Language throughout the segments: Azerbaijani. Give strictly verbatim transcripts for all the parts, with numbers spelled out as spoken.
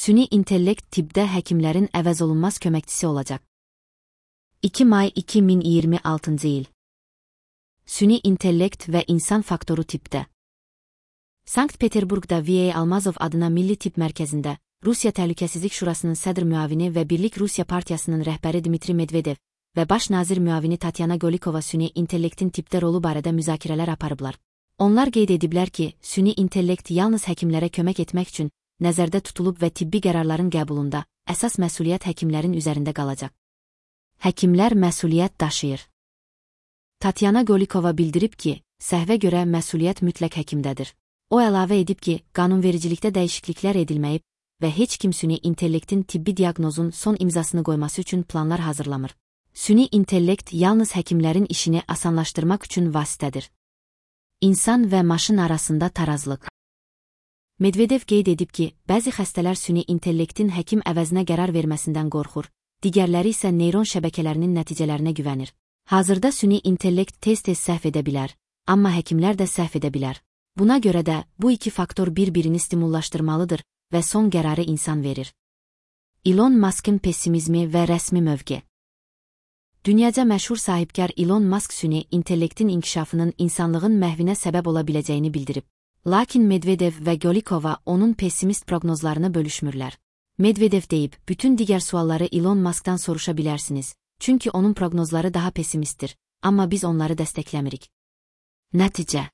Süni intellekt tibbdə həkimlərin əvəzolunmaz köməkçisi olacaq. iki may iki min iyirmi altıncı il. Süni intellekt və insan faktoru tibbdə. Sankt-Peterburqda V A Almazov adına Milli Tibb Mərkəzində Rusiya Təhlükəsizlik Şurasının sədr müavini və Birlik Rusiya Partiyasının rəhbəri Dmitri Medvedev və baş nazir müavini Tatyana Golikova süni intellektin tibbdə rolu barədə müzakirələr aparıblar. Onlar qeyd ediblər ki, süni intellekt yalnız həkimlərə kömək etmək üçün nəzərdə tutulub və tibbi qərarların qəbulunda əsas məsuliyyət həkimlərin üzərində qalacaq. Həkimlər məsuliyyət daşıyır. Tatyana Golikova bildirib ki, səhvə görə məsuliyyət mütləq həkimdədir. O əlavə edib ki, qanunvericilikdə dəyişikliklər edilməyib və heç kim süni intellektin tibbi diaqnozun son imzasını qoyması üçün planlar hazırlamır. Süni intellekt yalnız həkimlərin işini asanlaşdırmaq üçün vasitədir. İnsan və maşın arasında tarazlıq. Medvedev qeyd edib ki, bəzi xəstələr süni intellektin həkim əvəzinə qərar verməsindən qorxur, digərləri isə neyron şəbəkələrinin nəticələrinə güvənir. Hazırda süni intellekt tez-tez səhv edə bilər, amma həkimlər də səhv edə bilər. Buna görə də bu iki faktor bir-birini stimullaşdırmalıdır və son qərarı insan verir. Elon Musk'ın pessimizmi və rəsmi mövqe. Dünyaca məşhur sahibkar Elon Musk süni intellektin inkişafının insanlığın məhvinə səbəb ola biləcəyini bildirib. Lakin Medvedev və Golikova onun pessimist proqnozlarını bölüşmürlər. Medvedev deyib, bütün digər sualları Elon Musk'dan soruşa bilərsiniz, çünki onun proqnozları daha pessimistdir, amma biz onları dəstəkləmirik. Nəticə.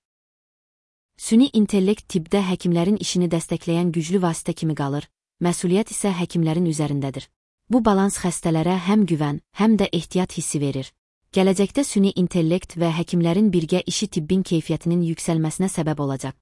Süni intellekt tibbdə həkimlərin işini dəstəkləyən güclü vasitə kimi qalır, məsuliyyət isə həkimlərin üzərindədir. Bu balans xəstələrə həm güvən, həm də ehtiyat hissi verir. Gələcəkdə süni intellekt və həkimlərin birgə işi tibbin keyfiyyətinin yüksəlməsinə səbəb olacaq.